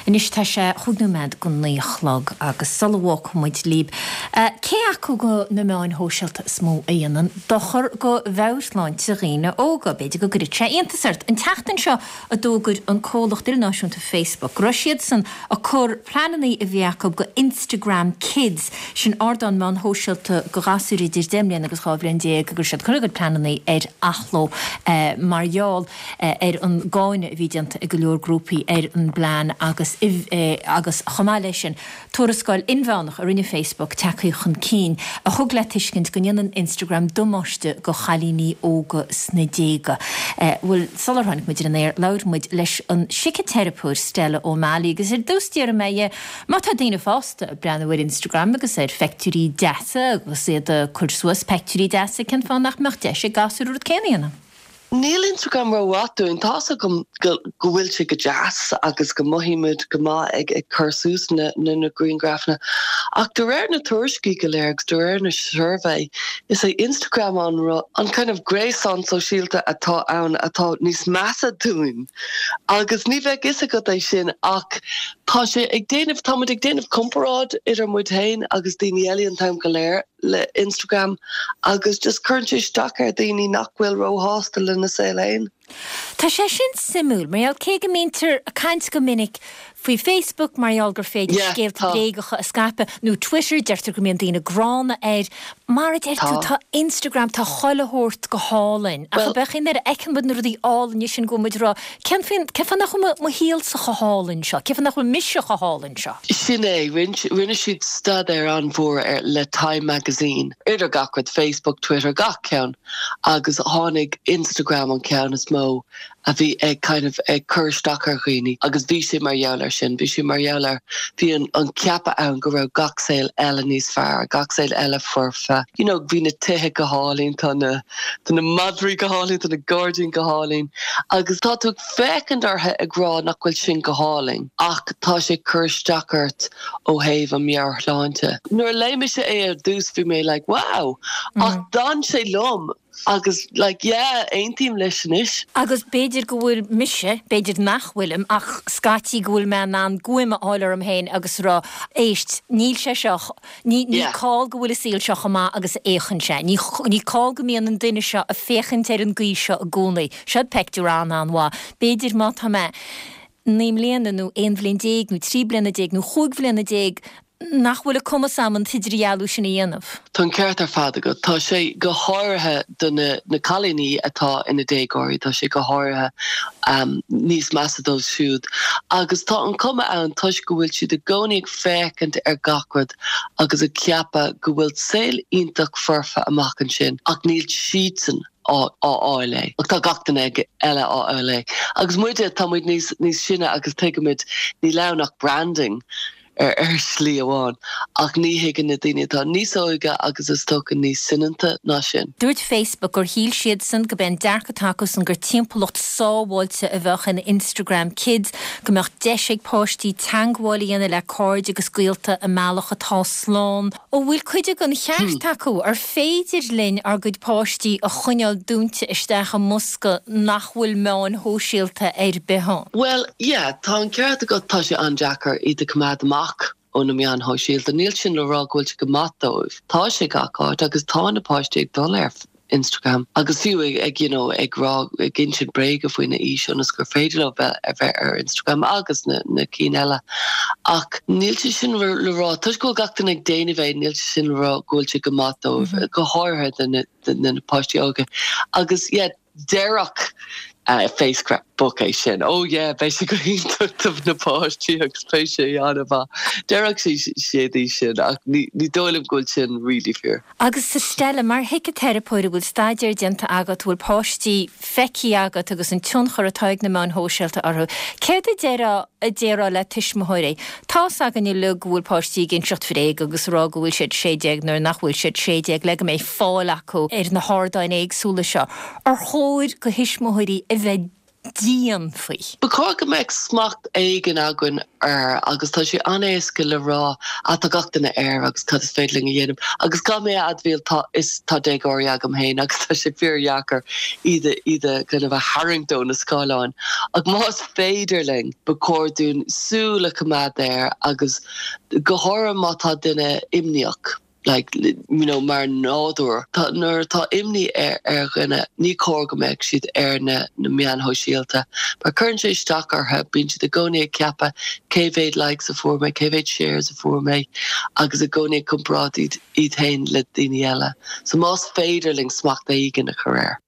Anois tá sé chúig nóiméad go 9 a chlog agus sula bhfágfaidh muid libh, cé acu go na meáin shóisialta is mó a dhéanann dochar go mheabhairshláinte dhaoine óga? B'fhéidir go gcuirfeadh sé iontas ort. An tseachtain seo a d'fhógair an comhlacht ilnáisiúnta Facebook go raibh siadsan ag cur pleananna a bhí acu go Instagram Kids, sin ardán meán shóisialta go ghasúir idir 10 mbliana agus 12 bhliain, go raibh siad ag cur a gcuid pleananna ar athló mar gheall ar an gcáineadh a bhí déanta ag go leor grúpaí ar an bplean agus agus chomh maith leis sin tuarascáil inmheánach a rinne Facebook tagtha chun cinn a thug le tuiscint go ndéanann Instagram damáiste go chailíní óga sna déaga. Bhuel, sular tháinig muid ar an aer labhair muid leis an siciteiripeoir Stella O'Malley agus ar dtús d'fhiafraigh mé dhe má tá daoine fásta ag breathnú ar Instagram agus ar pheictiúirí deasa agus iad ag cur suas peictiúirí deasa cén fáth nach mbeadh deis ag gasúir an rud céanna a dhéanamh? Níl Instagram rómhaith dúinn. Tá's agam go bhfuil sé go deas agus go mothaímid go maith ag cur suas na grianghrafanna ach de réir na tuairiscí go léir agus de réir na suirbhé is é Instagram an an kind of gréasán sóisialta atá ann atá níos measa dúinn agus ní bheadh fhios agat é sin ach tá sé ag déanamh, táimid ag déanamh comparáid idir muid féin agus daoine eile an t-am go léir. le Instagram agus just cuireann sé isteach ar dhaoine nach bhfuil róshásta lena saol fhéin. Tá sé sin suimiúil, mar gheall cé go mbítear ag caint go minic faoi Facebook mar gheall gur féidir scéalta bréagacha a scaipeadh, nó Twitter, deirtear go mbíonn daoine gránna air. Mar a deir tú, tá Instagram, tá chuile shórt go hálainn. Ach ab é nuair a fheiceann muid na rudaí álainne sin go bhfuil muid ag rá, cén fáth nach bhfuil mo shaolsa chomh hálainn seo? Cén fáth nach bhfuil mise chomh hálainn seo? Sin é. Rinne siad staidéar an-mhór ar le Time Magazine, idir gach rud, Facebook, Twitter, gach ceann, agus tháinig Instagram an ceann is mó a bhí ag kind of ag cur isteach ar dhaoine agus bhí sé mar gheall ar sin, bhí sé mar gheall ar, bhí an an ceapadh ann go raibh gach saol eile níos fearr, gach saol eile foirfe, you know bhí na tithe go hálainn, tá na tá na madraí go hálainn, tá na gairdíní go hálainn agus tá tú ag féachaint orthu ag rá nach bhfuil sin go hálainn ach tá sé ag cur isteach ort ó thaobh an meabhairshláinte. Nuair a léigh mise é ar dtús bhí mé like wow ach d'fhan sé liom agus like yeah aontaím leis anois. Agus b'fhéidir go bhfuil mise, b'fhéidir nach bhfuilim ach scaití go bhfuil mé in ann guaim a fháil orm féin agus rá éist níl sé seo Ní call go bhfuil an saol seo chomh maith agus a fhéachann sé. Ní call go mbíonn an duine seo ag féachaint ar an gcaoi seo i gcónaí. Seo peictiúr an-an-mhaith. B'fhéidir má tá mé 9 mbliana nó 11 bhliain nó 13 bliana nó 15 bhliana nach bhfuil an cumas a'm an t-idirdhealú sin a dhéanamh. Tá an ceart ar fad agat. Tá sé go háirithe do na na cailíní atá ina déagóirí, tá sé go háirithe níos measa dóibh siúd. Agus tá an cuma ann toisc go bhfuil siad i gcónaí ag féachaint ar gach rud agus ag ceapadh go bhfuil saol iontach foirfe amach ansin ach níl siadsan á fháil é. Ach tá gach duine eile á fháil é. Agus muide, tá muid níos níos sine agus tuigimid níl ann ach branding ar ar shlí amháin ach ní thuigeann na daoine atá níos óige agus is dócha níos soineanta ná sin. Dúirt Facebook gur shíl siadsan go b'é an dearcadh atá acusan gur timpeallacht sábháilte a bheadh in Instagram Kids, go mbeadh deis ag páistí teangmháil a dhéanamh le cairde agus gaolta i mbealach atá slán. An bhfuil cuid den cheart acu? Ar féidir linn ár gcuid páistí a choinneáil dúnta isteach i mbosca nach bhfuil meáin shóisialta ar bith ann? Bhuel, yeah, tá an ceart agat, tá sé an-deacair iad a choimeád amach ó na meáin shóisialta. Níl sin le rá go bhfuil sé go maith dóibh. Tá sé gach áit agus tá na páistí ag dul ar Instagram agus fiú ag you know ag rá ag insint bréaga faoina aois ionas gur féidir leo bheith a bheith ar Instagram agus na na cinn eile. Ach níl sé sin le rá toisc go bhfuil gach duine ag déanamh é níl sé sin le rá go bhfuil sé go maith dóibh go háirithe do na do na páistí óga. Agus yeah déarfadh Facebook é sin. Oh yeah beidh sé go hiontach do na páistí agus beidh sé an-mhaith. Déarfadh siad é sin ach ní ní dóigh liom go bhfuil sin really fíor. Agus a Stella, mar shíciteiripeoir a bhfuil staidéar déanta agat, a bhfuil páistí feicthe agat agus an tionchar atá ag na meáin shóisialta orthu, céard a déarfá a déarfá le tuismitheoirí? Tá's againn uilig go bhfuil páistí ag inseacht bhréag agus ag rá go bhfuil siad 16 nuair nach bhfuil siad 16 le go mbeidh fáil acu ar na hardáin éagsúla seo. Ar chóir go thuismitheoirí a bheith. dian faoi. Ba chóir go mbeadh smacht éigin againn air agus tá sé an-éasca le rá ah tá gach duine air agus cad is féidir linn a dhéanamh agus caithfidh mé a admháil tá is tá déagóirí agam féin agus tá sé fíordheacair iad a iad a kind of a tharraingt ó na scáileáin ach más féidir linn ba chóir dúinn súil a choimeád air agus go háirithe má tá duine imníoch. like you know mar nádúr. Tá nuair atá imní ar ar dhuine ní cóir go mbeadh siad ar na na meáin shóisialta mar cuireann sé isteach orthu, bíonn siad i gcónaí ag ceapadh cé mhéad likes a fuair mé, cé mhéad shares a fuair mé agus i gcónaí ag comparáid iad iad féin le daoine eile. So más féidir linn smacht éigin a chur air.